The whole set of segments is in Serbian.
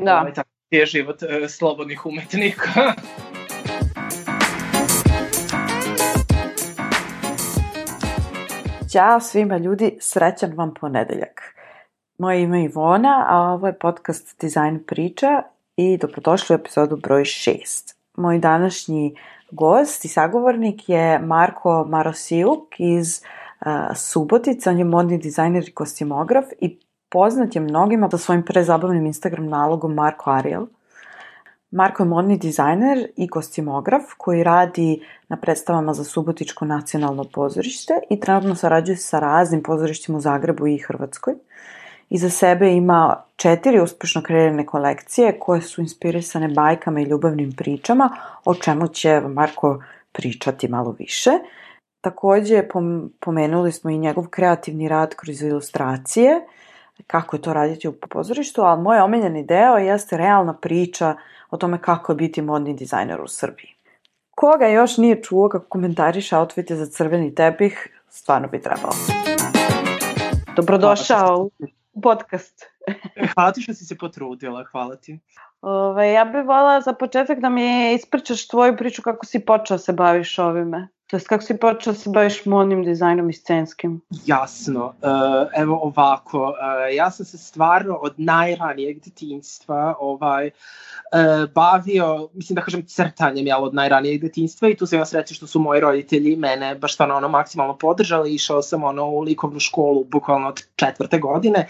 Da. Tako je život slobodnih umetnika. Ćao svima ljudi, srećan vam ponedeljak. Moje ime je Ivona, a ovo je podcast Dizajn priča i dobrodošli u epizodu broj 6. Moj današnji gost i sagovornik je Marko Marosiuk iz Subotice. On je modni dizajner i kostimograf i poznat je mnogima sa svojim prezabavnim Instagram nalogom Marko Ariel. Marko je modni dizajner i kostimograf koji radi na predstavama za Subotičko nacionalno pozorište i trenutno sarađuje sa raznim pozorištima u Zagrebu i Hrvatskoj. Iza sebe ima 4 uspešno kreirane kolekcije koje su inspirisane bajkama i ljubavnim pričama, o čemu će Marko pričati malo više. Takođe, pomenuli smo i njegov kreativni rad kroz ilustracije, kako je to raditi u pozorištu, ali moj omiljeni deo jeste realna priča o tome kako je biti modni dizajner u Srbiji. Koga još nije čuo kako komentariše outfite za crveni tepih, stvarno bi trebalo. Dobrodošao u podcast. Hvala ti što si se potrudila, hvala ti. Ja bih voljela za početak da mi ispričaš tvoju priču kako si počeo se baviš ovime. To jest kako si počeo se baviš modnim dizajnom i scenskim. Jasno, evo ovako, ja sam se stvarno od najranijeg detinjstva bavio, mislim da kažem crtanjem, od najranijeg detinjstva i tu sam ja srećen što su moji roditelji mene baš stvarno maksimalno podržali. Išao sam u likovnu školu bukvalno od 4. godine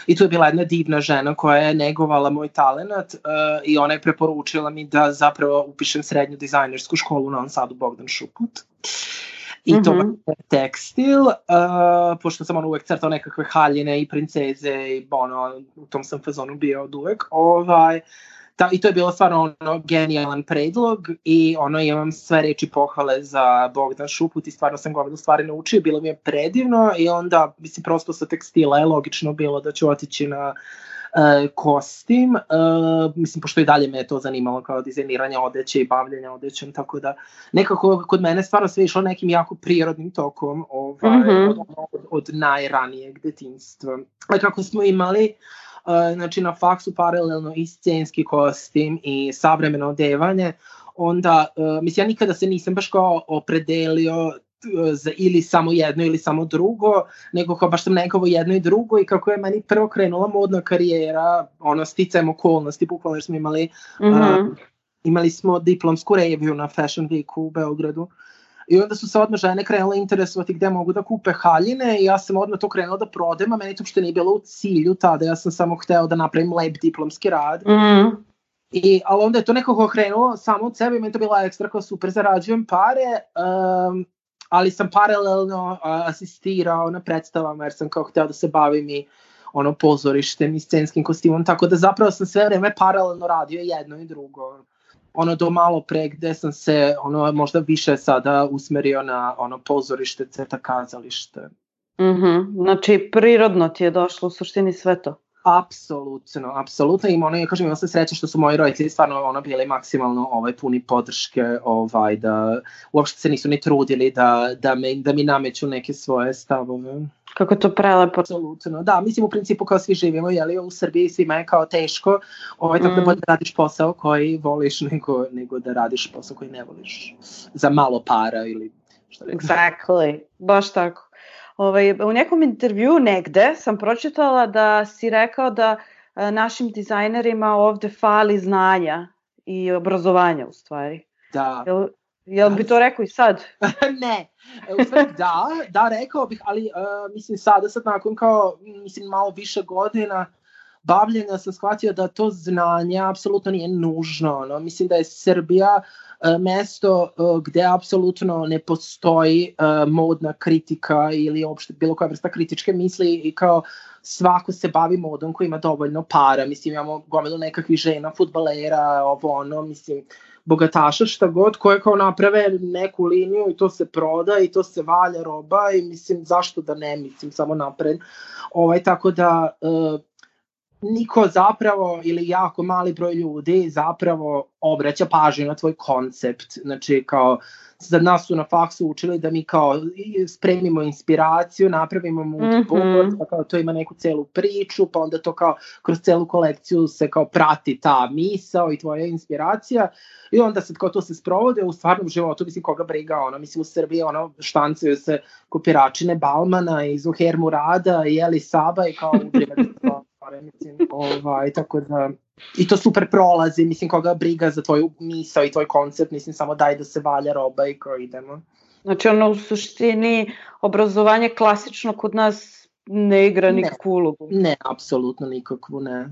i tu je bila jedna divna žena koja je negovala moj talenat i ona je preporučila mi da zapravo upišem srednju dizajnersku školu u Novom Sadu Bogdan Šuput. I to je tekstil, pošto sam uvek crtao nekakve haljine i princeze i u tom sam fazonu bio od uvek. I to je bilo stvarno genijalan predlog i imam sve reči pohvale za Bogdan Šuput i stvarno sam gomilu stvari naučio, bilo mi je predivno i onda, mislim, prosto sa tekstila je logično bilo da ću otići na kostim, mislim, pošto i dalje me je to zanimalo kao dizajniranje odeće i bavljenje odećem, tako da nekako kod mene stvarno sve išlo nekim jako prirodnim tokom od najranijeg detinjstva. Kako smo imali znači na faksu paralelno i scenski kostim i savremeno odevanje, onda, mislim, ja nikada se nisam baš kao opredelio za ili samo jedno ili samo drugo, nego kao baš sam nekako jedno i drugo i kako je meni prvo krenula modna karijera, sticajem okolnosti, bukvalno jer smo imali smo diplomsku reviju na Fashion Weeku u Beogradu. I onda su se odmah žene krenule interesovati gde mogu da kupe haljine i ja sam odmah to krenula da prodajem, a meni to uopšte nije bilo u cilju tada, ja sam samo hteo da napravim lep diplomski rad. Ali onda je to nekako krenulo samo od sebe i meni to bila ekstra kao super, zarađujem pare, ali sam paralelno asistirao na predstavama jer sam kao hteo da se bavim i pozorištem i scenskim kostimom, tako da zapravo sam sve vreme paralelno radio jedno i drugo. Do malo pre gde sam se možda više sada usmerio na pozorište, crta, kazalište. Znači prirodno ti je došlo u suštini sve to? Apsolutno. Imao sam sreće što su moji roditelji stvarno bili maksimalno puni podrške, da uopšte se nisu ni trudili da mi nameću neke svoje stavove. Kako to prelepo. Apsolutno, da, mislim u principu kao svi živimo, u Srbiji svima je kao teško, tako da bolje da radiš posao koji voliš nego da radiš posao koji ne voliš za malo para ili što rekao. Exactly, baš tako. U nekom intervju negde sam pročitala da si rekao da našim dizajnerima ovde fali znanja i obrazovanja u stvari. Da. Jel bi to rekao i sad? Ne, u stvari da, rekao bih, ali mislim sad nakon kao, mislim, malo više godina bavljenja sam shvatio da to znanje apsolutno nije nužno. Mislim da je Srbija mesto gde apsolutno ne postoji modna kritika ili uopšte bilo koja vrsta kritičke misli i kao svako se bavi modom koji ima dovoljno para. Mislim, imamo gomilu nekakvih žena, fudbalera, mislim, bogataša, šta god, koje kao naprave neku liniju i to se proda i to se valja roba i mislim, zašto da ne, mislim, samo napred. Tako da niko zapravo ili jako mali broj ljudi zapravo obraća pažnju na tvoj koncept. Znači kao za nas su na faksu učili da mi kao spremimo inspiraciju, napravimo mood board, pa kao to ima neku celu priču, pa onda to kao kroz celu kolekciju se kao prati ta misao i tvoja inspiracija i onda sad kao to se sprovode u stvarnom životu, mislim koga briga, mislim u Srbiji štancaju se kopiračine Balmana i Zuher Murada i Eli Saba i kao udriva mislim, tako da i to super prolazi, mislim koga briga za tvoju misao i tvoj koncept, mislim samo daj da se valja roba i kao idemo. Znači u suštini obrazovanje klasično kod nas ne igra nikakvu ulogu. Ne, apsolutno nikakvu, ne.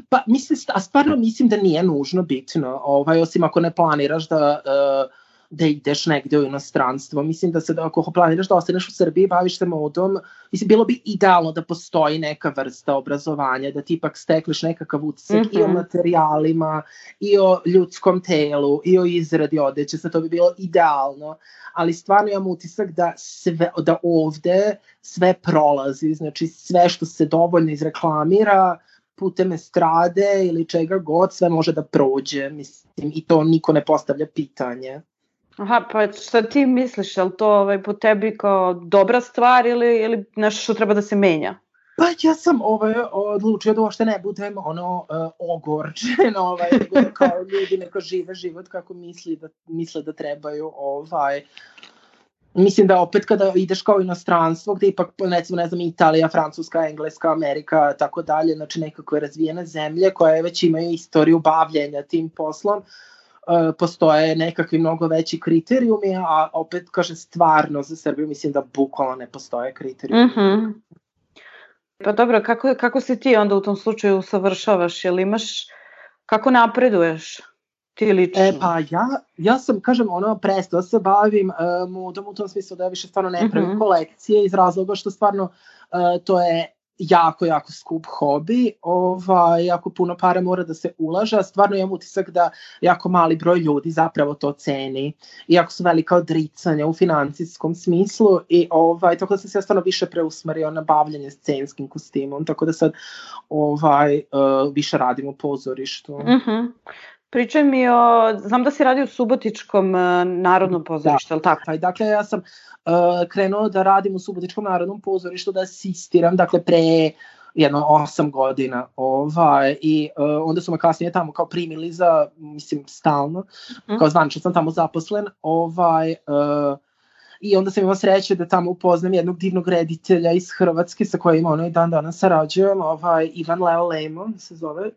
Pa mislim, a stvarno mislim da nije nužno bitno, osim ako ne planiraš da ideš negde u inostranstvo. Mislim da ako planiraš da ostaneš u Srbiji, baviš se modom, mislim, bilo bi idealno da postoji neka vrsta obrazovanja, da ti ipak stekneš nekakav utisak i o materijalima, i o ljudskom telu, i o izradi odeće, sad to bi bilo idealno, ali stvarno imam utisak da ovde sve prolazi, znači sve što se dovoljno izreklamira, putem estrade ili čega god, sve može da prođe, mislim, i to niko ne postavlja pitanje. Aha, pa šta ti misliš, je li to po tebi kao dobra stvar ili nešto što treba da se menja? Pa ja sam odlučio da uopšte ne budem ogorčen, kao ljudi neko žive život kako misle da trebaju, Mislim da opet kada ideš kao inostranstvo, gde ipak, recimo, ne znam, Italija, Francuska, Engleska, Amerika, tako dalje, znači nekakve razvijene zemlje koje već imaju istoriju bavljenja tim poslom, postoje nekakvi mnogo veći kriterijumi, a opet, kaže, stvarno za Srbiju mislim da bukvalno ne postoje kriterijumi. Pa dobro, kako se ti onda u tom slučaju usavršavaš, jel imaš, kako napreduješ ti lično? Pa ja sam, kažem, prestao se bavim modom u tom smislu da ja više stvarno ne pravim kolekcije iz razloga što stvarno to je jako, jako skup hobi, jako puno para mora da se ulaže, a stvarno imam utisak da jako mali broj ljudi zapravo to ceni, iako su velika odricanja u financijskom smislu i tako da sam se ja stvarno više preusmerio na bavljanje scenskim kostimom, tako da sad više radim u pozorištu. Pričaj mi znam da si radio u Subotičkom narodnom pozorištu, ali tako? Dakle, ja sam krenuo da radim u Subotičkom narodnom pozorištu, da asistiram, dakle, pre 8 godina, i onda su me kasnije tamo kao primili za, mislim, stalno, kao zvanično sam tamo zaposlen, i onda sam imao sreće da tamo upoznam jednog divnog reditelja iz Hrvatske sa kojim i dan danas sarađujem, Ivan Leo Lejmo se zove,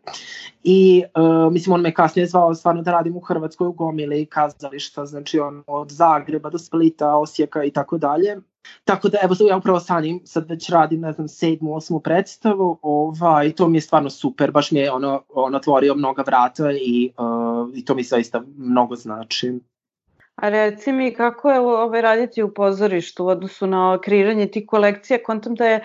i mislim on me kasnije zvao stvarno da radim u Hrvatskoj u gomili kazališta, znači od Zagreba do Splita, Osijeka i tako dalje. Tako da evo ja upravo sa njim sad već radim, ne znam, 7. 8. predstavu, i to mi je stvarno super, baš mi je otvorio mnoga vrata i to mi zaista mnogo znači. A reci mi kako je raditi u pozorištu u odnosu na kreiranje tih kolekcija, kontam da je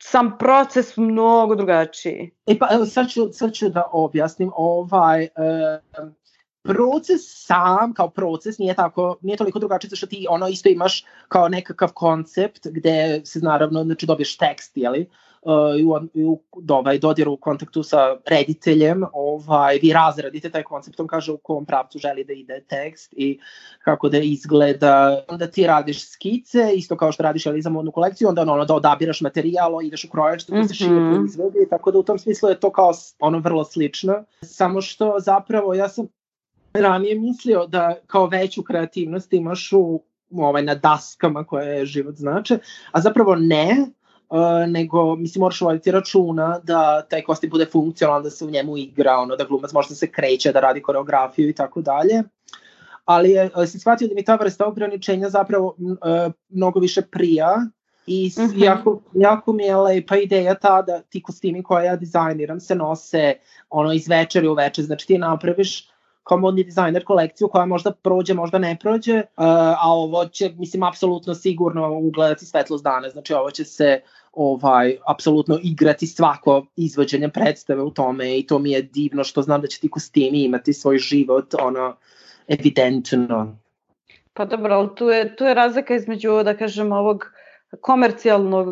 sam proces mnogo drugačiji. Pa evo sad ću da objasnim, proces sam kao proces nije toliko drugačiji, što ti isto imaš kao nekakav koncept gde se naravno, znači dobiješ tekst, jeli, u dodiru u kontaktu sa rediteljem, vi razradite taj koncept, on kaže u kom pravcu želi da ide tekst i kako da izgleda, onda ti radiš skice, isto kao što radiš za modnu kolekciju, onda da odabiraš materijal, ideš u krojač, da se šije proizvodi, tako da u tom smislu je to kao vrlo slično, samo što zapravo ja sam ranije mislio da kao veću kreativnost imaš na daskama koje život znače, a zapravo ne, nego mislim moraš voditi računa da taj kostim bude funkcionalan, da se u njemu igra, da glumac može da se kreće, da radi koreografiju i tako dalje. Ali sam shvatio da mi ta vrsta ograničenja zapravo mnogo više prija i jako mi je lepa ideja ta da ti kostimi koje ja dizajniram se nose iz večeri u večer, znači ti napraviš kao modni dizajner kolekciju koja možda prođe, možda ne prođe, a ovo će, mislim, apsolutno sigurno ugledati svetlost dana, znači ovo će se apsolutno igrati svako izvođenje predstave u tome i to mi je divno što znam da će ti kostimi imati svoj život, evidentno. Pa dobro, ali tu je razlika između, da kažem, ovog komercijalnog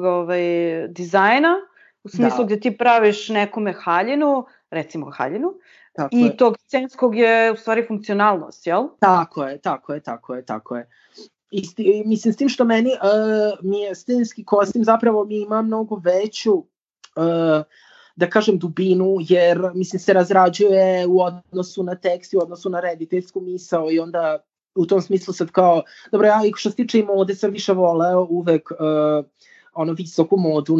dizajna u smislu gdje ti praviš nekome haljinu, recimo haljinu, i tog scenskog je u stvari funkcionalnost, jel? Tako je. I mislim, s tim što meni mi je scenski kostim zapravo mi ima mnogo veću da kažem dubinu, jer mislim se razrađuje u odnosu na tekst i u odnosu na rediteljsku misao i onda u tom smislu sad kao, dobro, ja i što se tiče i mode sam više voleo uvek visoku modu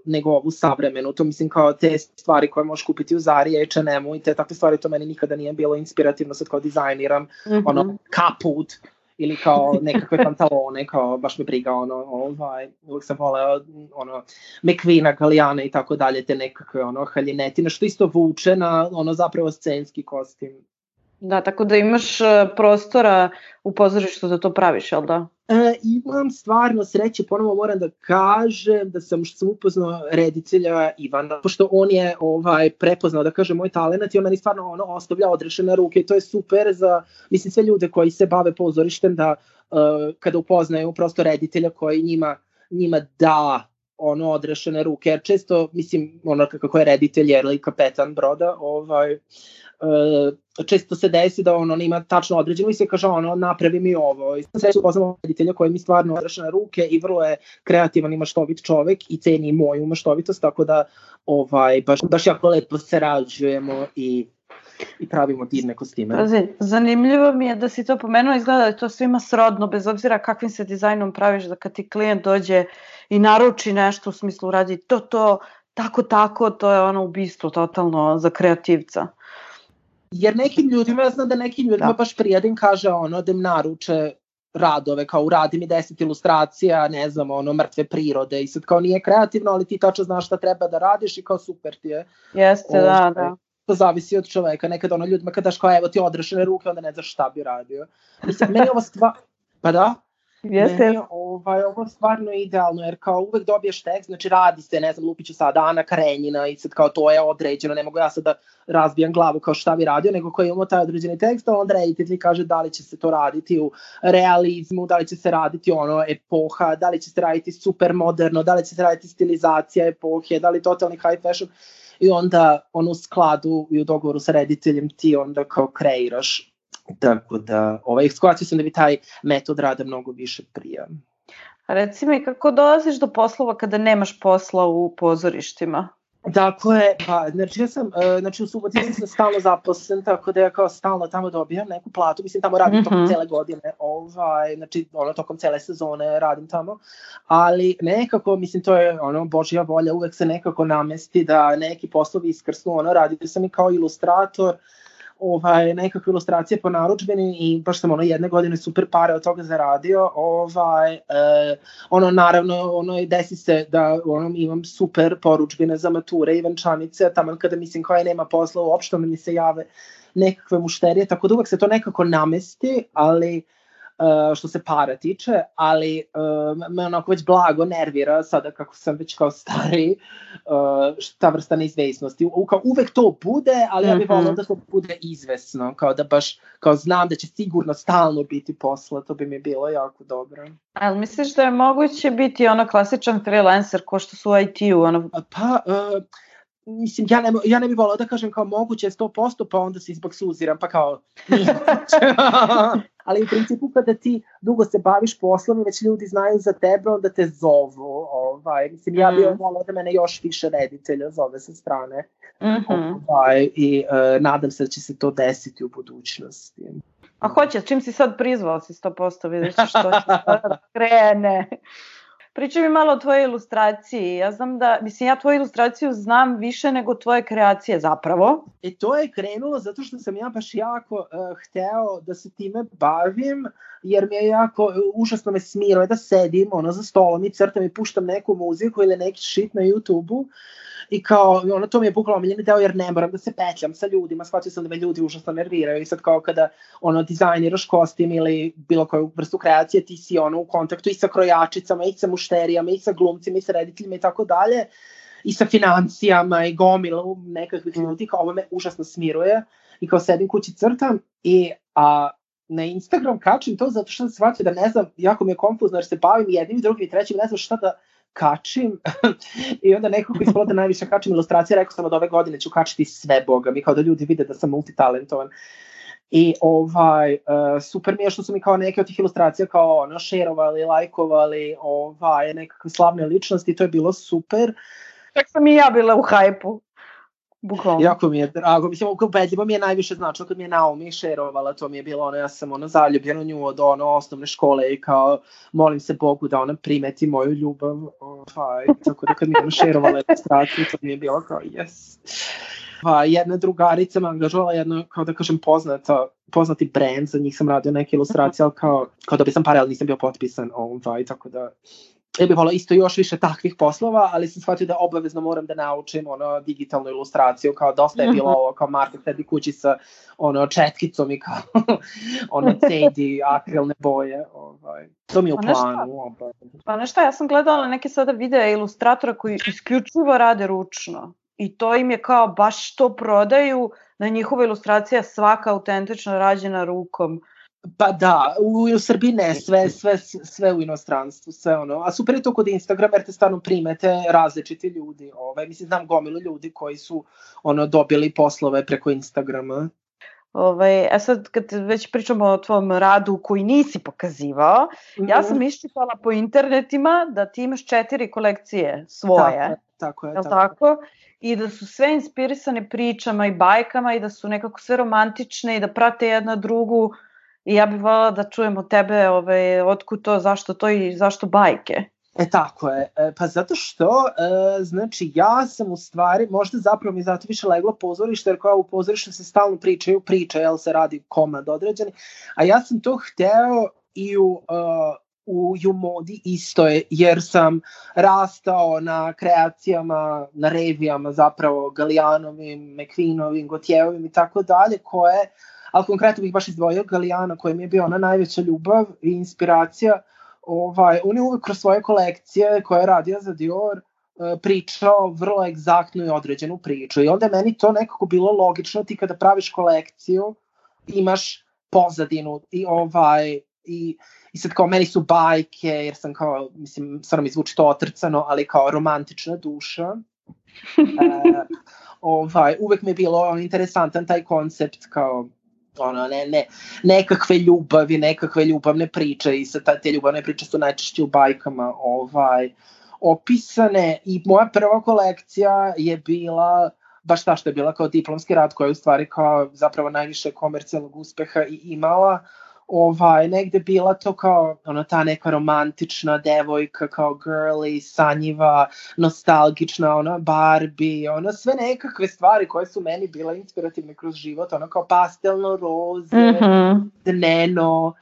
nego ovu savremenu. To mislim kao te stvari koje možeš kupiti u Zari, H&M-u i te takve stvari, to meni nikada nije bilo inspirativno sad kao dizajniram, kaput ili kao nekakve pantalone, kao baš me briga, uvijek sam voleo McQueena, Gallijana i tako dalje, te nekakve haljinetine, što isto vuče na zapravo scenski kostim. Da, tako da imaš prostora u pozorištu da to praviš, jel da? Imam stvarno sreće, ponovo moram da kažem da sam upoznao reditelja Ivana, pošto on je prepoznao, da kažem, moj talent i on meni stvarno ostavlja odrešene ruke i to je super za, mislim, sve ljude koji se bave pozorištem da kada upoznaju prosto reditelja koji njima da odrešene ruke, jer često, mislim, kako je reditelj ili kapetan broda, često se desi da on ima tačno određeno i se kaže napravi mi ovo. I sve upoznamo reditelja koji mi stvarno odrešene ruke i vrlo je kreativan i maštovit čovek i ceni moju maštovitost, tako da baš jako lepo sarađujemo i pravimo divne kostime. Zanimljivo mi je da si to pomenuo, izgleda da je to svima srodno, bez obzira kakvim se dizajnom praviš, da kad ti klijent dođe i naruči nešto u smislu radi to, tako, to je ubistvo totalno za kreativca. Jer nekim ljudima, ja znam da nekim ljudima baš prijedim kaže da im naruče radove, kao uradi mi 10 ilustracija, ne znam, mrtve prirode i sad kao nije kreativno, ali ti tačno znaš šta treba da radiš i kao super ti je. Jeste, da. To zavisi od čoveka, nekad ljudima kad daš kao evo ti odrešene ruke, onda ne znaš šta bi radio. Mislim, meni ovo pa da? Jeste. Meni ovo stvarno idealno, jer kao uvek dobiješ tekst, znači radi se, ne znam, lupiću sada Ana Karenjina i sad kao to je određeno, ne mogu ja sad da razbijam glavu kao šta bi radio, nego koji imamo taj određeni tekst, a onda reditelj kaže da li će se to raditi u realizmu, da li će se raditi epoha, da li će se raditi super moderno, da li će se raditi stilizacija epohe, da li totalni high fashion, i onda u skladu i u dogovoru sa rediteljem ti onda kao kreiraš. Tako da, shvatio sam da bi taj metod rada mnogo više prija. Reci mi, kako dolaziš do poslova kada nemaš posla u pozorištima? Dakle, znači ja sam, u Subotici sam stalno zaposlen, tako da ja kao stalno tamo dobijam neku platu, mislim tamo radim tokom cele godine, znači tokom cele sezone radim tamo, ali nekako, mislim to je Božja volja, uvek se nekako namesti da neki poslovi iskrsnu, radio sam i kao ilustrator, nekakve ilustracije po narudžbini i baš sam jedne godine super pare od toga zaradio, naravno desi se da imam super porudžbine za mature i venčanice, tamo kada mislim koja nema posla uopšte, onda mi se jave nekakve mušterije, tako da uvek se to nekako namesti, ali što se para tiče, ali me već blago nervira sada kako sam već kao stariji, ta vrsta neizvesnosti. Uvek to bude, ali ja bih volila da to bude izvesno, kao da baš kao znam da će sigurno stalno biti posla, to bi mi bilo jako dobro. Ali misliš da je moguće biti klasičan freelancer ko što su u IT-u? Mislim, ja ne bih volila da kažem kao moguće 100%, pa onda se izboksuziram, pa kao nije. Ali u principu kada ti dugo se baviš poslom i već ljudi znaju za tebe, onda te zovu. Mislim, ja bih volila da mene još više reditelja zove sa strane. I nadam se da će se to desiti u budućnosti. A hoće, čim si sad prizvao si 100%, vidiš što će da krene. Pričaj mi malo o tvojoj ilustraciji. Ja znam da, ja tvoju ilustraciju znam više nego tvoje kreacije zapravo. To je krenulo zato što sam ja baš jako hteo da se time bavim, jer mi je jako, užasno me smiruje da sedim za stolom i crtam i puštam neku muziku ili neki shit na YouTube-u. I kao, to mi je bukvalno omiljeni deo jer ne moram da se petljam sa ljudima, shvatio sam da me ljudi užasno nerviraju i sad kao kada dizajniraš kostim ili bilo koju vrstu kreacije, ti si u kontaktu i sa krojačicama, i sa mušterijama, i sa glumcima, i sa rediteljima i tako dalje, i sa financijama i gomilom nekakvih ljudi, kao ovo me užasno smiruje i kao sedim kući crtam i na Instagram kačim to zato što sam shvatio da ne znam, jako mi je konfuzno jer se bavim jednim i drugim i trećim, ne znam šta da kačim i onda nekako ispalo da najviše kačim ilustracije, rekao sam od ove godine ću kačiti sve, boga mi, kao da ljudi vide da sam multitalentovan. I super mi je što su mi kao neke od tih ilustracija kao šerovali, lajkovali, nekakve slavne ličnosti, to je bilo super. Čak sam i ja bila u hajpu. Bukvalno. Jako mi je drago, mislim, ubedljivo mi je najviše značilo kad mi je Naomi šerovala, to mi je bilo ja sam zaljubljen u nju od osnovne škole i kao molim se Bogu da ona primeti moju ljubav, tako da kad mi je šerovala ilustraciju, to mi je bilo kao yes. Jedna drugarica me angažovala jedno, kao da kažem, poznati brand, za njih sam radio neke ilustracije, ali kao da bi sam pare, ali nisam bio potpisan, tako da ja bih volao isto još više takvih poslova, ali sam shvatio da obavezno moram da naučim digitalnu ilustraciju, kao dosta je bilo ovo, kao Marta sedi kući sa četkicom i kao CD, akrilne boje, to mi je u planu. Pa nešto, ja sam gledala neke sada videa ilustratora koji isključivo rade ručno i to im je kao baš to prodaju, na njihova ilustracija svaka autentično rađena rukom. Pa da, u Srbiji ne, sve u inostranstvu, sve a super je to kod Instagrama jer te stvarno primete različiti ljudi, mislim, znam gomilu ljudi koji su dobili poslove preko Instagrama. Sad kad već pričamo o tvom radu koji nisi pokazivao, ja sam iščitala po internetima da ti imaš 4 kolekcije svoje, tako je. I da su sve inspirisane pričama i bajkama i da su nekako sve romantične i da prate jedna drugu. I ja bih voljela da čujem od tebe otkud to, zašto to i zašto bajke. Tako je. Pa zato što, znači, ja sam u stvari, možda zapravo mi zato više leglo pozorište, jer kao u pozorištu se stalno priče, jel se radi komad određeni, a ja sam to hteo i u modi isto je, jer sam rastao na kreacijama, na revijama zapravo Galianovim, McQueenovim, Gotjevovim i tako dalje, koje, ali konkretno bih baš izdvojio Galijana koji mi je bio ona najveća ljubav i inspiracija. On je uvek kroz svoje kolekcije koje je radio za Dior pričao vrlo egzaktnu i određenu priču i onda je meni to nekako bilo logično, ti kada praviš kolekciju imaš pozadinu i sad kao meni su bajke, jer sam kao, mislim, stvarno mi zvuči to otrcano, ali kao romantična duša. Uvek mi je bilo interesantan taj koncept kao nekakve ljubavi, nekakve ljubavne priče i sad te ljubavne priče su najčešće u bajkama opisane i moja prva kolekcija je bila baš ta što je bila kao diplomski rad koja je u stvari kao zapravo najviše komercijalnog uspeha i imala negde bila to kao ta neka romantična devojka kao girly, sanjiva, nostalgična, Barbie, sve nekakve stvari koje su meni bile inspirativne kroz život, kao pastelno roze, dneno,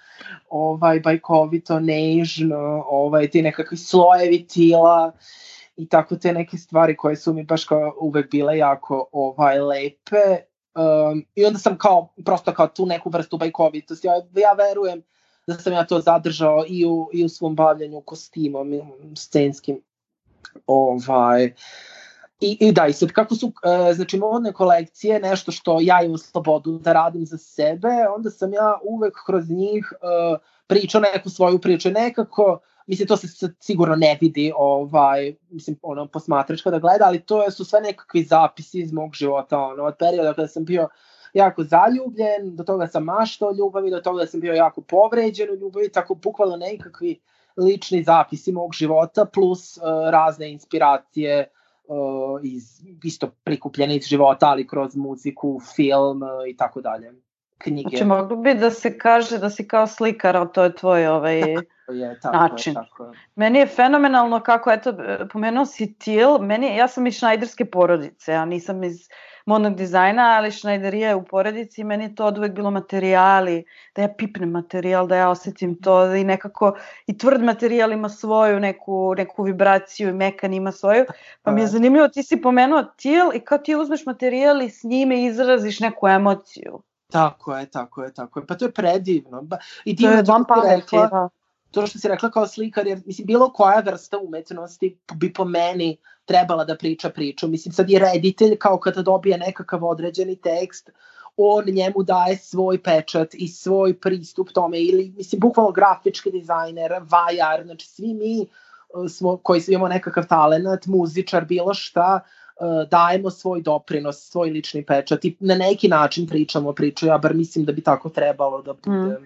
bajkovito, nežno, ti nekakvi slojevi tila i tako te neke stvari koje su mi baš kao uvek bile jako lepe. I onda sam prosto kao tu neku vrstu bajkovitosti, ja verujem da sam ja to zadržao i u svom bavljanju kostimom scenskim. I da, i sad kako su znači modne kolekcije nešto što ja imam slobodu da radim za sebe, onda sam ja uvek kroz njih pričao neku svoju priču i nekako, mislim, to se sigurno ne vidi, mislim, posmatrač kada gleda, ali to su sve nekakvi zapisi iz mog života, od perioda kada sam bio jako zaljubljen, do toga sam maštao o ljubavi, do toga sam bio jako povređen u ljubavi, tako bukvalno nekakvi lični zapisi mog života, plus razne inspiracije isto prikupljene iz života, ali kroz muziku, film i tako dalje. Knjige. Znači, moglo bi da se kaže da si kao slikar, ali to je tvoj način. Meni je fenomenalno kako, eto, pomenuo si Til, ja sam iz šnajderske porodice, ja nisam iz modnog dizajna, ali šnajderija je u porodici i meni je to od uvek bilo materijali, da ja pipnem materijal, da ja osetim to i nekako i tvrd materijal ima svoju neku vibraciju i mekan ima svoju, pa mi je zanimljivo, ti si pomenuo Til i kao ti uzmeš materijal i s njime izraziš neku emociju. Tako je. Pa to je predivno. I to je vam pameti, da. To što si rekla kao slikar, jer mislim, bilo koja vrsta umetnosti bi po meni trebala da priča priču. Mislim, sad je reditelj kao kada dobije nekakav određeni tekst, on njemu daje svoj pečat i svoj pristup tome, ili mislim, bukvalno grafički dizajner, vajar, znači svi mi koji imamo nekakav talenat, muzičar, bilo šta, dajemo svoj doprinos, svoj lični pečat i na neki način pričamo priču, ja bar mislim da bi tako trebalo da bude.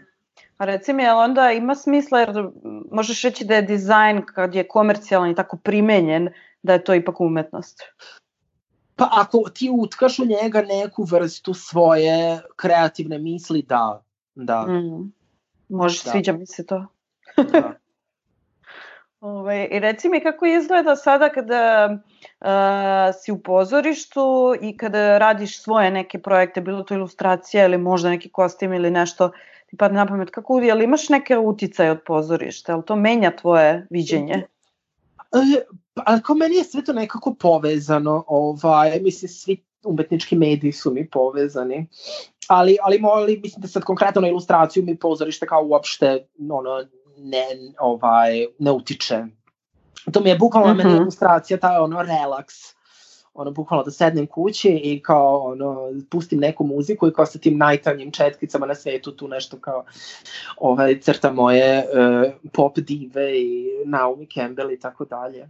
A reci mi, jel onda ima smisla, jer možeš reći da je dizajn kad je komercijalan i tako primenjen, da je to ipak umetnost? Pa ako ti utkaš u njega neku vrstu svoje kreativne misli, da. Možeš, sviđa mi se to. Da. I reci mi kako izgleda sada kada si u pozorištu i kada radiš svoje neke projekte, bilo to ilustracija ili možda neki kostim ili nešto ti padne na pamet, jel imaš neke uticaje od pozorišta, jel to menja tvoje viđenje? Ali kao meni je sve to nekako povezano, mislim svi umetnički mediji su mi povezani, ali mislim da sad konkretno na ilustraciju mi pozorište kao uopšte ne utiče. To mi je bukvalno meni ilustracija, taj relaks, bukvalno da sednem kući i kao pustim neku muziku i kao sa tim najtanjim četkicama na svetu tu nešto kao crta moje pop dive i Naomi Campbell i tako dalje.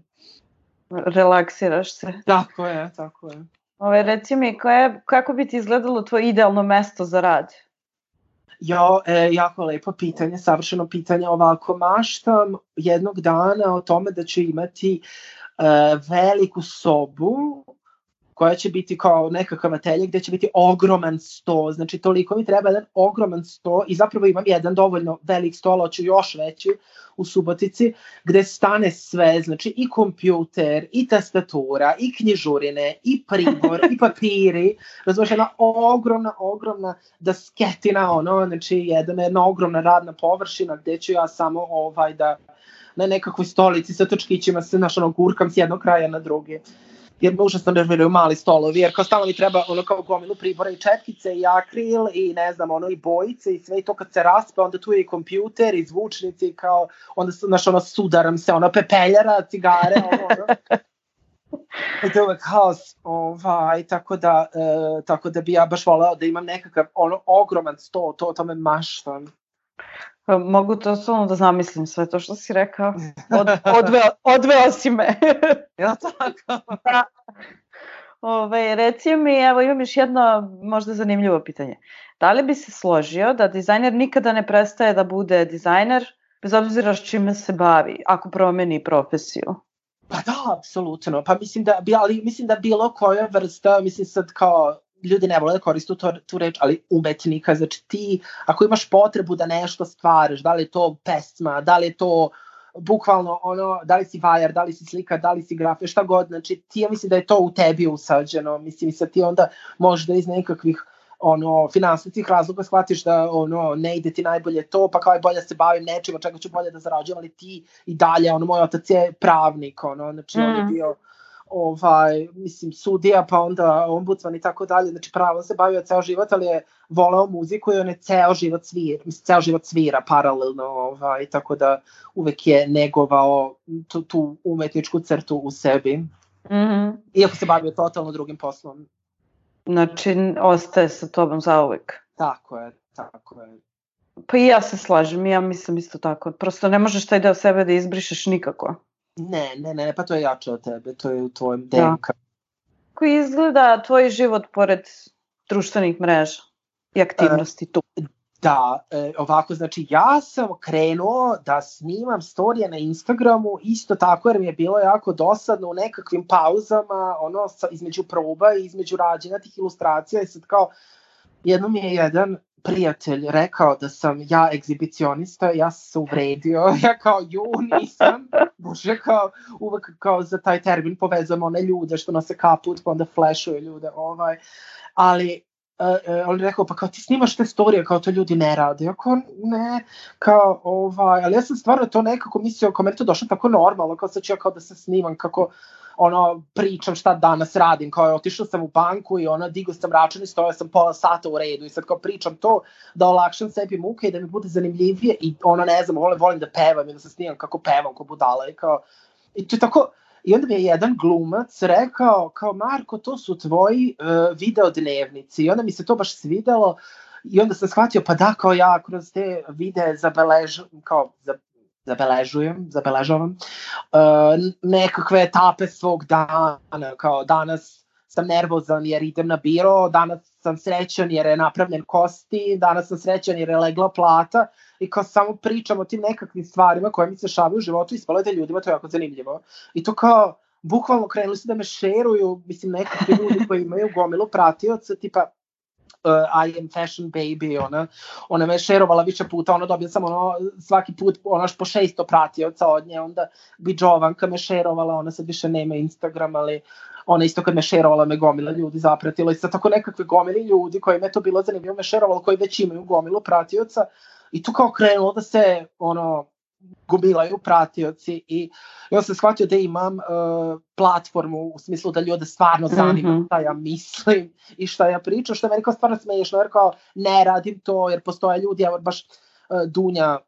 Relaksiraš se. Tako je. Reci mi, kako bi ti izgledalo tvoje idealno mesto za rad? Jako lepo pitanje, savršeno pitanje. Ovako, maštam jednog dana o tome da ću imati veliku sobu koja će biti kao nekakav atelje gde će biti ogroman sto, znači toliko mi treba jedan ogroman sto i zapravo imam jedan dovoljno velik sto, hoću još veći u Subotici, gde stane sve, znači i kompjuter, i tastatura, i knjižurine, i pribor, i papiri, razumiješ, jedna ogromna dasketina, znači jedna ogromna radna površina gde ću ja samo da na nekakvoj stolici sa točkićima se gurkam s jednog kraja na drugi. Jer me užasno nerviraju mali stolovi, jer kao stalno mi treba kao gomilu pribora i četkice i akril i ne znam, i bojice i sve i to kad se raspe, onda tu je i kompjuter i zvučnici, kao onda sudaram se, pepeljara, cigare, I to je uvek haos, tako da bi ja baš voleo da imam nekakav ogroman sto, to me maštam. Mogu to samo da zamislim sve to što si rekao. Odveo si me. Ja tako. Reci mi, evo imam još jedno možda zanimljivo pitanje. Da li bi se složio da dizajner nikada ne prestaje da bude dizajner, bez obzira s čime se bavi, ako promeni profesiju? Pa da, apsolutno. Pa mislim da bilo koja vrsta, mislim sad kao ljudi ne vole da koriste tu reč, ali umetnika, znači ti ako imaš potrebu da nešto stvaraš, da li je to pesma, da li je to bukvalno da li si vajar, da li si slika, da li si grafija, šta god, znači ti ja mislim da je to u tebi usađeno, mislim sad ti onda možda iz nekakvih finansijskih razloga shvatiš da ne ide ti najbolje to, pa kao je bolje se bavim nečim, od čega ću bolje da zarađujem, ali ti i dalje, moj otac je pravnik, znači on je bio mislim sudija, pa onda ombudsman i tako dalje, znači pravo se bavio ceo život, ali je voleo muziku i on je ceo život svira paralelno, tako da uvek je negovao tu umetničku crtu u sebi, iako se bavio totalno drugim poslom. Znači, ostaje sa tobom zauvek. Tako je. Pa i ja se slažem, ja mislim isto tako, prosto ne možeš taj deo sebe da izbrišeš nikako. Ne, pa to je jače od tebe, to je u tvojem DNK. Kako izgleda tvoj život pored društvenih mreža i aktivnosti tu? Da, ovako, znači ja sam krenuo da snimam storije na Instagramu, isto tako jer mi je bilo jako dosadno u nekakvim pauzama, između proba i između rađenja tih ilustracija i sad kao, jednom mi je jedan prijatelj rekao da sam ja egzibicionista, ja sam se uvredio, ja kao nisam, bože kao uvek kao za taj termin povezujem one ljude što nose kaput pa onda flešuju ljude, ali on je rekao pa kao ti snimaš te storije kao to ljudi ne rade, ja kao ne, kao ali ja sam stvarno to nekako mislio, kao meni to došlo tako normalno, kao sad ću ja kao da se snimam kako pričam šta danas radim, kao otišao sam u banku i digao sam račun i stojao sam pola sata u redu i sad kao pričam to da olakšam sebi muke i da mi bude zanimljivije i ne znam, volim da pevam i da se snimam kako pevam, kao budala i to je tako. I onda mi je jedan glumac rekao, kao Marko, to su tvoji video dnevnici i onda mi se to baš svidelo i onda sam shvatio, pa da, kao ja kroz te videe zabeležavam nekakve etape svog dana, kao danas sam nervozan jer idem na biro, danas sam srećan jer je napravljen kostim, danas sam srećan jer je legla plata i kao samo pričam o tim nekakvim stvarima koje mi se šavaju u životu i ispalo je da ljudima to je jako zanimljivo. I to kao, bukvalno krenuli su da me šeruju, mislim, nekakvi ljudi koji imaju gomilu pratioca, tipa I am fashion baby, ona me šerovala više puta, dobila sam svaki put po 600 pratioca od nje, onda bi Jovanka me šerovala, ona sad više nema Instagram, ali ona isto kad me šerovala me gomila ljudi zapratila i sad tako nekakve gomili ljudi koji me to bilo zanimljivo me šerovalo, koji već imaju gomilu pratioca i tu kao krenulo da se gomilaju pratioci i ja sam shvatio da imam platformu u smislu da ljude stvarno zanima šta ja mislim i šta ja pričam, što je meni kao stvarno smiješno, jer kao ne radim to jer postoje ljudi, evo baš Dunja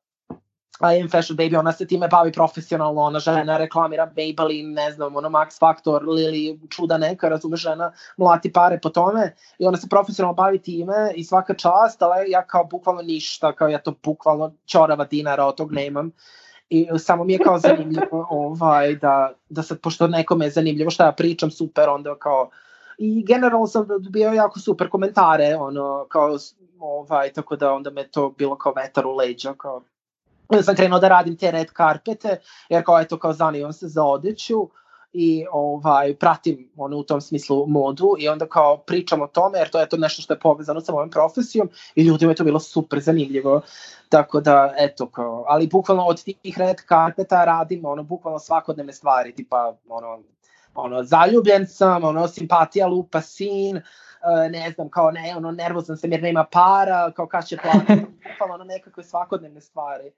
I am fashion baby, ona se time bavi profesionalno, ona žena reklamira Maybelline, ne znam, Max Factor, Lily, čuda neka, razume, žena mlati pare po tome i ona se profesionalno bavi time i svaka čast, ali ja kao bukvalno ništa, kao ja to bukvalno ćorava dinara od tog nemam i samo mi je kao zanimljivo da sad, pošto nekome je zanimljivo šta ja pričam, super, onda kao i generalno sam dobio jako super komentare, kao tako da onda me to bilo kao vetar u leđa, kao onda sam krenuo da radim te red carpete, jer kao zanimam se za odeću i pratim u tom smislu modu i onda kao pričam o tome, jer to je to nešto što je povezano sa mojom profesijom i ljudima je to bilo super zanimljivo, tako da eto kao, ali bukvalno od tih red carpeta radim bukvalno svakodnevne stvari, tipa zaljubljen sam, simpatija lupa sin, ne znam, kao nervozan sam jer nema para, kao kad će platiti, bukvalno nekakve svakodnevne stvari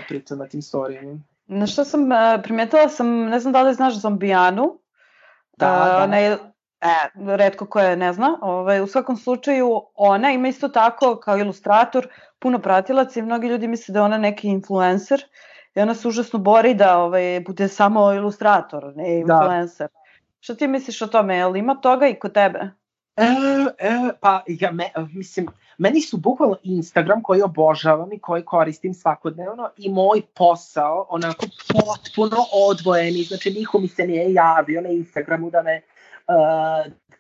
pričam na tim storijima. Na što sam primetila sam, ne znam da li znaš Zombijanu. Da. Retko ko je ne zna. U svakom slučaju ona ima isto tako kao ilustrator puno pratilaca i mnogi ljudi misle da je ona neki influencer i ona se užasno bori da bude samo ilustrator, ne influencer. Što ti misliš o tome? Je li ima toga i kod tebe? Pa ja mislim, meni su bukvalno Instagram koji obožavam i koji koristim svakodnevno i moj posao onako potpuno odvojeni, znači niko mi se nije javio na Instagramu da me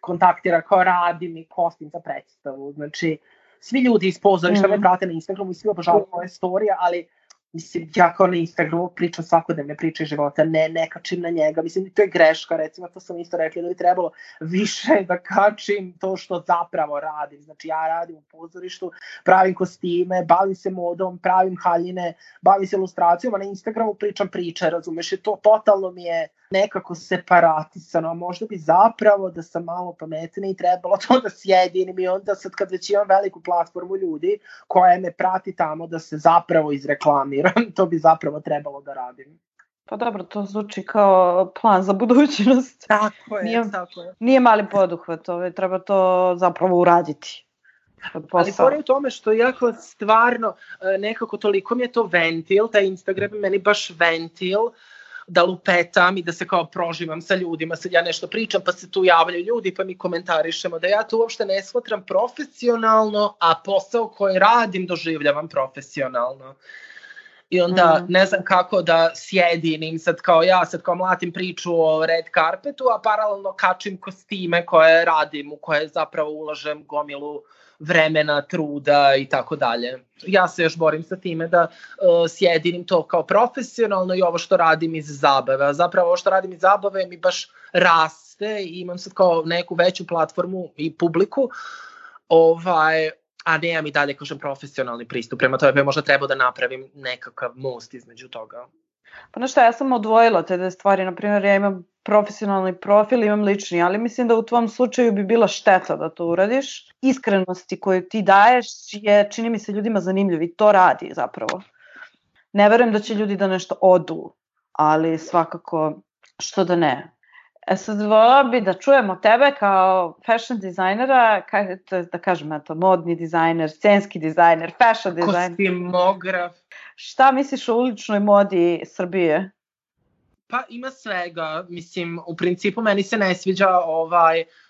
kontaktira kao radim i kostim za predstavu, znači svi ljudi iz pozorišta me prate na Instagramu i svi obožavaju moje storije, ali mislim, ja kao na Instagramu pričam svakodnevne priče života, ne kačim na njega, mislim, to je greška, recimo, to sam isto rekla da bi trebalo više da kačim to što zapravo radim, znači ja radim u pozorištu, pravim kostime, bavim se modom, pravim haljine, bavim se ilustracijom, a na Instagramu pričam priče, razumeš, i to totalno mi je nekako separatisano, a možda bi zapravo da sam malo pametniji trebalo to da sjedinim i onda sad kad već imam veliku platformu ljudi koja me prati tamo da se zapravo izreklamiram, to bi zapravo trebalo da radim. Pa dobro, to zvuči kao plan za budućnost. Tako je. Nije mali poduhvat, treba to zapravo uraditi. Ali pored tome što jako stvarno nekako toliko mi je to ventil, taj Instagram je meni baš ventil, da lupetam i da se kao proživam sa ljudima, sad ja nešto pričam pa se tu javljaju ljudi pa mi komentarišemo, da ja to uopšte ne shvatram profesionalno, a posao koji radim doživljavam profesionalno. I onda ne znam kako da sjedinim sad kao ja, sad kao mlatim priču o red carpetu, a paralelno kačim kostime koje radim, u koje zapravo ulažem gomilu vremena, truda i tako dalje. Ja se još borim sa time da sjedinim to kao profesionalno i ovo što radim iz zabave. A zapravo ovo što radim iz zabave mi baš raste i imam sad kao neku veću platformu i publiku, a nemam i dalje, kažem, profesionalni pristup. Prema tome možda treba da napravim nekakav most između toga. Pa znaš šta, ja sam odvojila te dve stvari. Naprimjer, ja imam profesionalni profil, imam lični, ali mislim da u tvom slučaju bi bila šteta da to uradiš. Iskrenosti koju ti daješ je, čini mi se, ljudima zanimljiv i to radi zapravo. Ne verujem da će ljudi da nešto odu, ali svakako što da ne. Sad volila bi da čujemo tebe kao fashion dizajnera, da kažem, modni dizajner, scenski dizajner, fashion dizajner. Kostimograf. Šta misliš o uličnoj modi Srbije? Pa ima svega, mislim, u principu meni se ne sviđa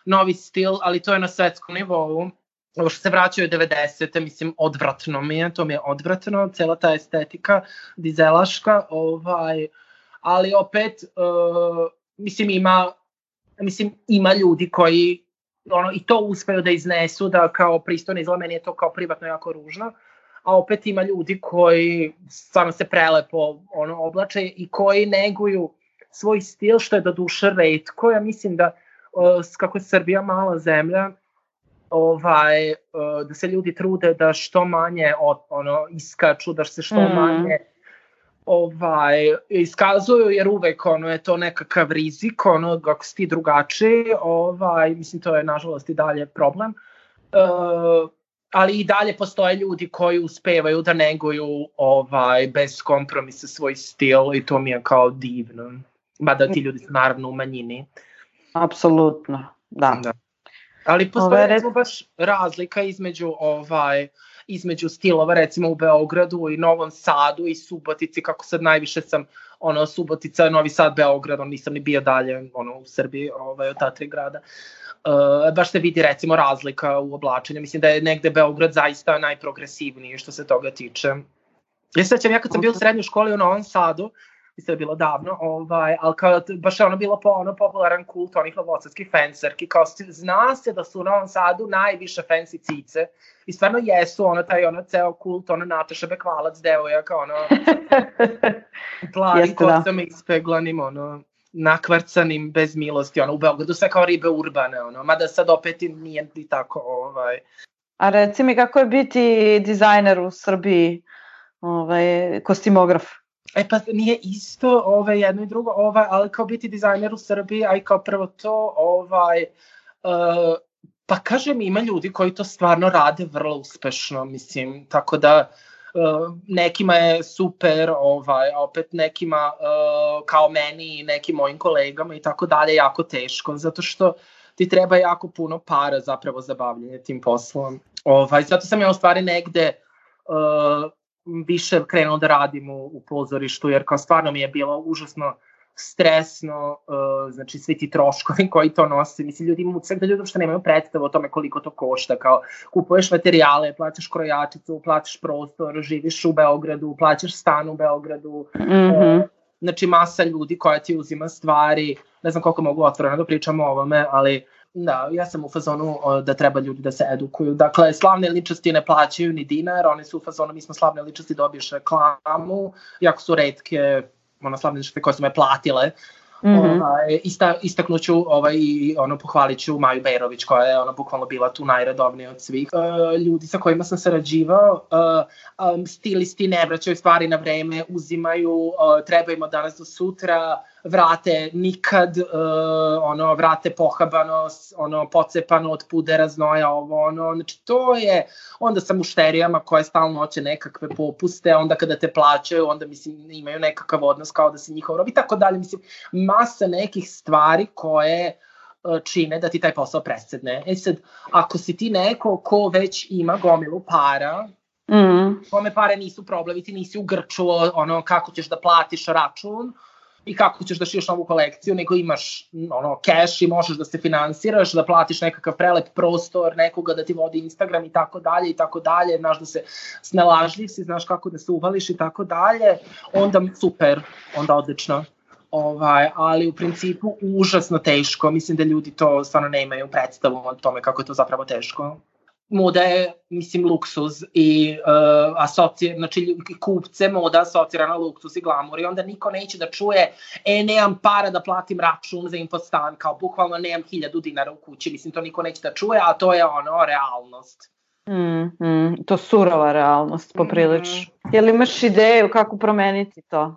novi stil, ali to je na svetskom nivou. ovo što se vraćaju 90. mislim, odvratno mi je, to mi je odvratno, cela ta estetika dizelaška, ali opet, mislim, ima ljudi koji i to uspeju da iznesu, da kao pristojno izgleda, meni je to kao privatno jako ružno, a opet ima ljudi koji stvarno se prelepo oblače i koji neguju svoj stil, što je do duše retko. Ja mislim da, kako je Srbija mala zemlja, da se ljudi trude da što manje iskaču, da se što manje iskazuju, jer uvek je to nekakav rizik, ako si ti drugačiji, mislim, to je nažalost i dalje problem. Ali i dalje postoje ljudi koji uspevaju da neguju bez kompromisa svoj stil i to mi je kao divno. Mada ti ljudi su naravno u manjini. Apsolutno, da. Ali postoje baš razlika između stilova, recimo u Beogradu i Novom Sadu i Subotici, kako sad najviše sam, Subotica, Novi Sad, Beograd, nisam ni bio dalje u Srbiji, od ta 3 grada. Baš se vidi recimo razlika u oblačenju. Mislim da je negde Beograd zaista najprogresivniji što se toga tiče. Ja se sećam, ja kad sam bio u srednjoj školi u Novom Sadu, mislim da je bilo davno, ali kao baš je bilo popularan kult onih novosadskih fencerki, kao zna se da su u Novom Sadu najviše fancy cice i stvarno jesu, taj ceo kult, Nataša Bekvalac, devojaka, plavi kosama ispeglanim, nakvarcanim bez milosti, u Beogradu sve kao ribe urbane, mada sad opet nije ni tako. A reci mi kako je biti dizajner u Srbiji, kostimograf? Pa nije isto jedno i drugo, ali kao biti dizajner u Srbiji, a i kao prvo to, pa kažem, ima ljudi koji to stvarno rade vrlo uspešno, mislim, tako da nekima je super, a opet nekima kao meni i nekim mojim kolegama i tako dalje jako teško, zato što ti treba jako puno para zapravo za bavljanje tim poslom. Zato sam ja u stvari negde više krenuo da radim u pozorištu, jer kao stvarno mi je bilo užasno stresno, znači svi ti troškovi koji to nose, mislim, ljudi uopšte nemaju predstavu o tome koliko to košta, kao kupuješ materijale, plaćaš krojačicu, plaćaš prostor, živiš u Beogradu, plaćaš stan u Beogradu, znači masa ljudi koja ti uzima stvari, ne znam koliko mogu otvoreno da pričam o ovome, ali da, ja sam u fazonu da treba ljudi da se edukuju. Dakle, slavne ličnosti ne plaćaju ni dinar, oni su u fazonu, mi smo slavne ličnosti, dobiješ reklamu, jako su retke slavne ličnosti koje su me platile. Istaknuću i pohvalit ću Maju Berović, koja je bukvalno bila tu najredovnija od svih ljudi sa kojima sam sarađivao. Stilisti ne vraćaju stvari na vreme, uzimaju, treba im od danas do sutra, vrate nikad, vrate pohabano, pocepano od pudera, znoja, znači to je, onda sa mušterijama koje stalno hoće nekakve popuste, onda kada te plaćaju, onda mislim imaju nekakav odnos kao da si njihov rob i tako dalje, mislim, masa nekih stvari koje čine da ti taj posao presedne. Sad, ako si ti neko ko već ima gomilu para, kome pare nisu problem i ti nisi u grču kako ćeš da platiš račun i kako ćeš da šiješ novu kolekciju, nego imaš cash i možeš da se finansiraš, da platiš nekakav prelep prostor, nekoga da ti vodi Instagram i tako dalje, znaš da se snalažljiv si, znaš kako da se uvališ i tako dalje, onda super, onda odlično. Ali u principu užasno teško, mislim da ljudi to stvarno ne imaju predstavu o tome kako je to zapravo teško. Moda je, mislim, luksuz i znači kupce moda asocira na luksuz i glamur i onda niko neće da čuje nemam para da platim račun za infostan, kao bukvalno nemam 1000 dinara u kući, mislim, to niko neće da čuje, a to je realnost. To surova realnost, poprilično. Jel imaš ideju kako promeniti to?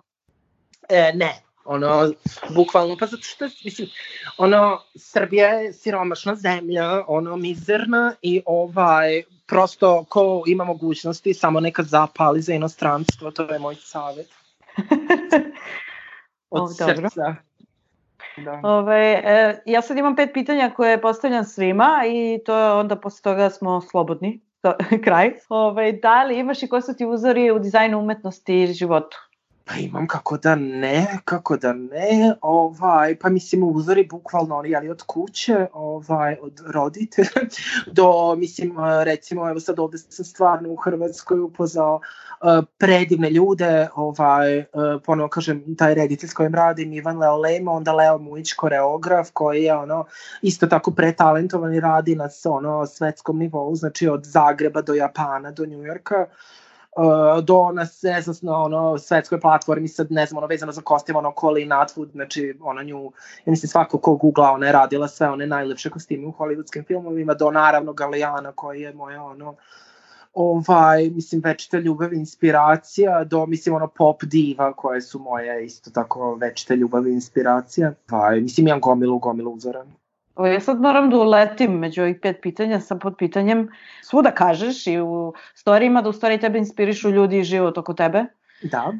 Ne. Bukvalno, pa zato što, mislim, Srbija je siromašna zemlja, mizerna i prosto ko ima mogućnosti samo nekad zapali za inostranstvo, to je moj savjet. Od srca. Ja sad imam 5 pitanja koje postavljam svima i to onda posle toga smo slobodni, kraj. Da li imaš i koji su ti uzori u dizajnu, umetnosti i životu? Pa imam kako da ne, pa mislim uzori bukvalno oni, ali od kuće, od roditelja, do, mislim, recimo, evo sad ovde sam stvarno u Hrvatskoj upoznao predivne ljude, ponovo kažem, taj reditelj s kojim radim, Ivan Leolema, onda Leo Mujić, koreograf, koji je isto tako pretalentovan i radi na svetskom nivou, znači od Zagreba do Japana, do Njujorka, do nas, ne znam, svetskoj platformi, sad ne znam, vezano za kostim, Colleen Atwood, znači nju, ja mislim svako ko googla, ona je radila sve one najlepše kostime u hollywoodskim filmovima, do naravno Galejana koji je moja mislim, večita ljubav i inspiracija, do, mislim, pop diva koje su moje isto tako večita ljubav i inspiracija. Mislim, imam gomilu uzora. Ja sad moram da uletim među ovih 5 pitanja sa pod pitanjem. Svuda kažeš i u storijima da u stvari tebe inspirišu ljudi i život oko tebe. Da.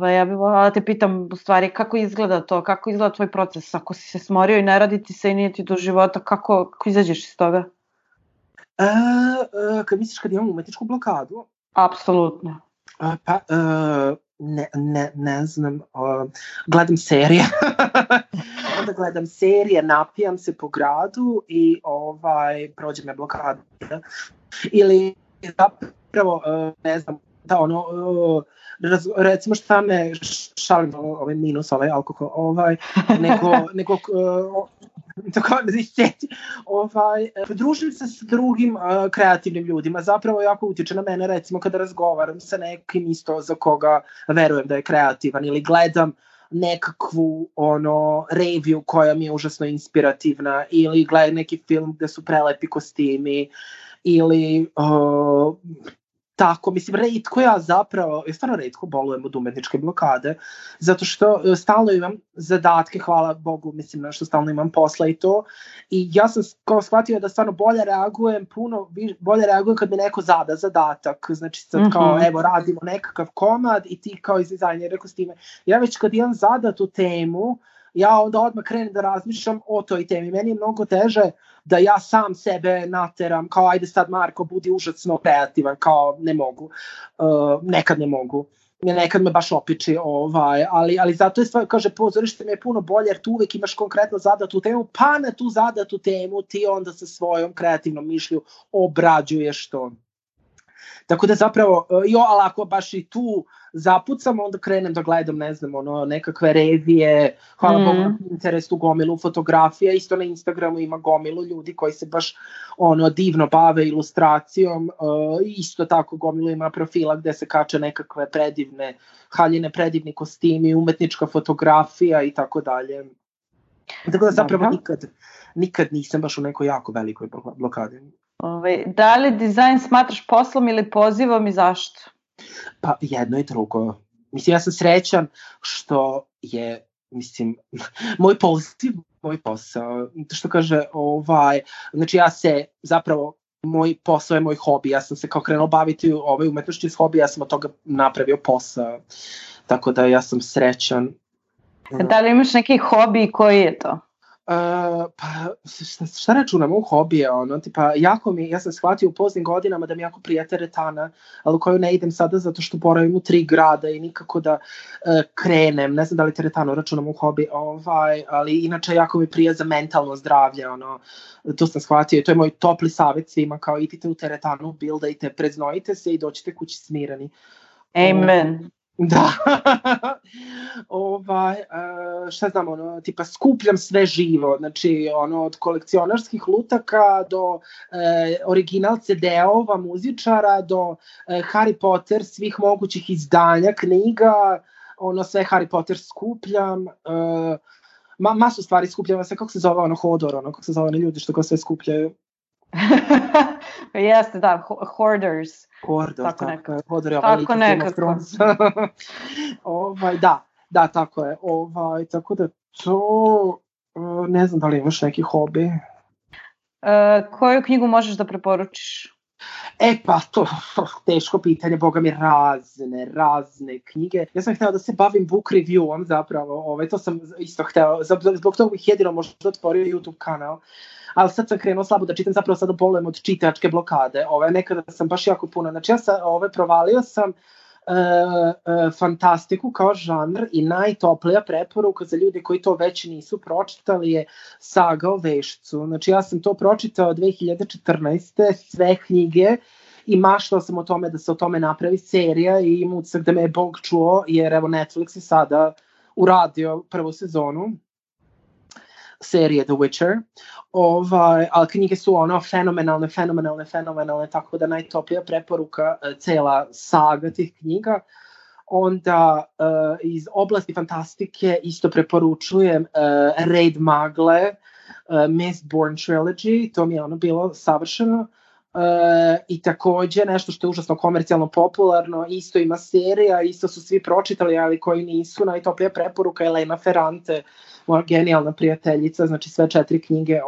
Ja bih volala da te pitam u stvari kako izgleda to, kako izgleda tvoj proces, ako si se smorio i ne radi ti se i nije ti do života, kako izađeš iz toga? Kad misliš kad imam umetničku blokadu? Apsolutno. Pa, ne znam, gledam serije. Onda gledam serije, napijam se po gradu i prođe me blokada. Ili zapravo, ne znam, da recimo šta me šalim, minus, alkohol, nego družim se s drugim kreativnim ljudima, zapravo jako utiče na mene, recimo kada razgovaram sa nekim isto za koga verujem da je kreativan, ili gledam nekakvu review koja mi je užasno inspirativna, ili gledam neki film gde su prelepi kostimi, ili tako, mislim, ja stvarno retko bolujem od umetničke blokade, zato što stalno imam zadatke, hvala Bogu, mislim, što stalno imam posla i to, i ja sam shvatio da stvarno bolje reagujem kad mi neko zada zadatak, znači sad kao, evo, radimo nekakav komad i ti kao iz dizajnera kostime, ja već kad imam zadatu temu, ja onda odmah krenem da razmišljam o toj temi. Meni je mnogo teže da ja sam sebe nateram, kao ajde sad Marko, budi užasno kreativan, kao ne mogu, nekad ne mogu. Nekad me baš opiči, ali zato je stvar, kaže, pozorište mi je puno bolje, jer tu uvek imaš konkretno zadatu temu, pa na tu zadatu temu ti onda sa svojom kreativnom mišlju obrađuješ to. Tako da zapravo, ali ako baš i tu zapucam, onda krenem da gledam, ne znam, nekakve revije, hvala Bogu na Pinterestu gomilu fotografija, isto na Instagramu ima gomilu ljudi koji se baš divno bave ilustracijom, isto tako gomilu ima profila gde se kače nekakve predivne haljine, predivni kostimi, umetnička fotografija i tako dalje. Tako da zapravo nikad nisam baš u nekoj jako velikoj blokadi. Da li dizajn smatraš poslom ili pozivom i zašto? Pa jedno i drugo. Mislim, ja sam srećan što je, mislim, moj poziv, moj posao. Što kaže, znači ja se zapravo, moj posao je moj hobi. Ja sam se kao krenuo baviti umetnošću iz hobija, ja sam od toga napravio posao. Tako da ja sam srećan. Da li imaš neki hobi i koji je to? Pa šta računamo u hobije, tipa ja sam shvatio u poznim godinama da mi jako prija teretana, ali u koju ne idem sada zato što boravim u 3 grada i nikako da krenem, ne znam da li teretanu računamo u hobi, ali inače jako mi prija za mentalno zdravlje, to sam shvatio i to je moj topli savjet svima, kao idite u teretanu, bildajte, preznojite se i dođite kući smirani. Amen. Da, šta znam, tipa skupljam sve živo, znači od kolekcionarskih lutaka do original CD-ova, muzičara, do Harry Potter, svih mogućih izdanja, knjiga, sve Harry Potter skupljam, masu stvari skupljam, kako se zove Hodor, kako se zove ljudi što sve skupljaju. Jeste, da, hoarders. Tako nekako. Hodor je ovaj nekako. Da, tako je. Tako da to, ne znam da li imaš neki hobi. Koju knjigu možeš da preporučiš? Pa to teško pitanje, boga mi, razne knjige. Ja sam htela da se bavim book reviewom zapravo, to sam isto htela, zbog toga bih jedino možda otvorio YouTube kanal, ali sad sam krenuo slabo da čitam, zapravo sada bolujem od čitačke blokade, nekada sam baš jako puno, znači ja sam provalio sam fantastiku kao žanr i najtoplija preporuka za ljude koji to već nisu pročitali je Saga o Vešcu. Znači ja sam to pročitao 2014. sve knjige i maštao sam o tome da se o tome napravi serija i imam utisak da me je Bog čuo, jer evo Netflix je sada uradio prvu sezonu serije The Witcher, ali knjige su fenomenalne, tako da najtoplija preporuka cela saga tih knjiga. Onda iz oblasti fantastike isto preporučujem Raid Magle, Mistborn Trilogy, to mi je bilo savršeno. I takođe nešto što je užasno komercijalno popularno, isto ima serija, isto su svi pročitali, ali koji nisu, najtoplija preporuka je Elena Ferrante, moja genijalna prijateljica, znači sve 4 knjige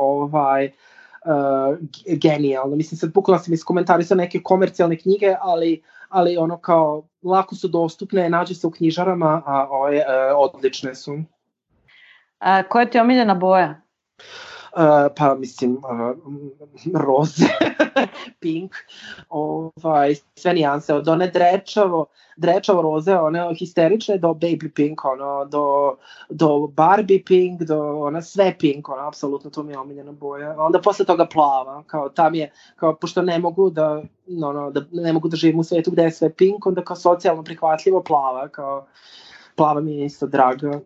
genijalno. Mislim, sad bukvalno sam iskomentarisao neke komercijalne knjige, ali ono kao lako su dostupne, nađe se u knjižarama, a odlične su. Koja ti je omiljena boja? Pa mislim roze, pink, sve nijanse, od one drečavo roze, one histerične, do baby pink, do Barbie pink, do sve pink, apsolutno to mi je omiljena boja. Onda posle toga plava, kao tam je, kao pošto ne mogu da živim u svetu gde je sve pink, onda kao socijalno prihvatljivo plava, kao plava mi je isto draga.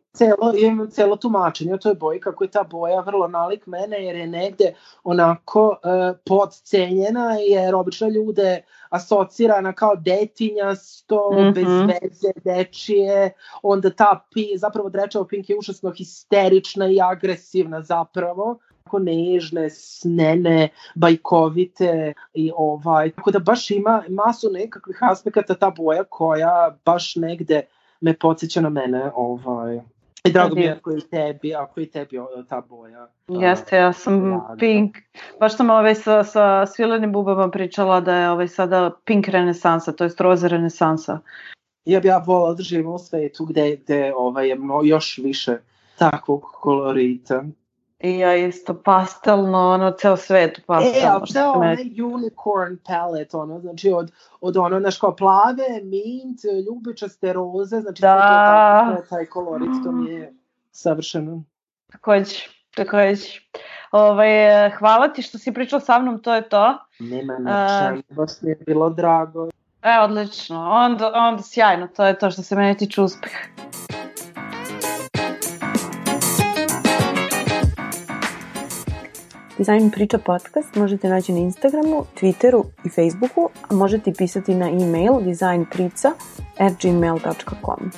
Imam celo tumačenje o toj boji, kako je ta boja vrlo nalik mene, jer je negde onako podcenjena, jer obično ljude asocirana kao detinjasto, bez veze, dečije, onda ta zapravo drečavo pink je užasno histerična i agresivna zapravo, tako nežne, snene, bajkovite i tako da baš ima masu nekakvih aspekata ta boja koja baš negde me podsjeća na mene, i drago mi je ako i tebi ta boja. Jeste, ja sam pink, baš sam sa Svilenim bubama pričala da je sada pink renesansa, to je roze renesansa. Ja bih volila da živim u svetu gde je još više takvog kolorita. I ja isto pastelno, ceo svet pastelno. Ali ceo onaj unicorn palette, znači od znaš kao plave, mint, ljubičaste roze, znači sve taj kolorit, to mi je savršeno. Takođe. Hvala ti što si pričala sa mnom, to je to. Nema na čemu, baš mi je bilo drago. Odlično, onda sjajno, to je to što se mene tiče uspeh. Design Priča podcast možete naći na Instagramu, Twitteru i Facebooku, a možete pisati na e-mail designprica@gmail.com.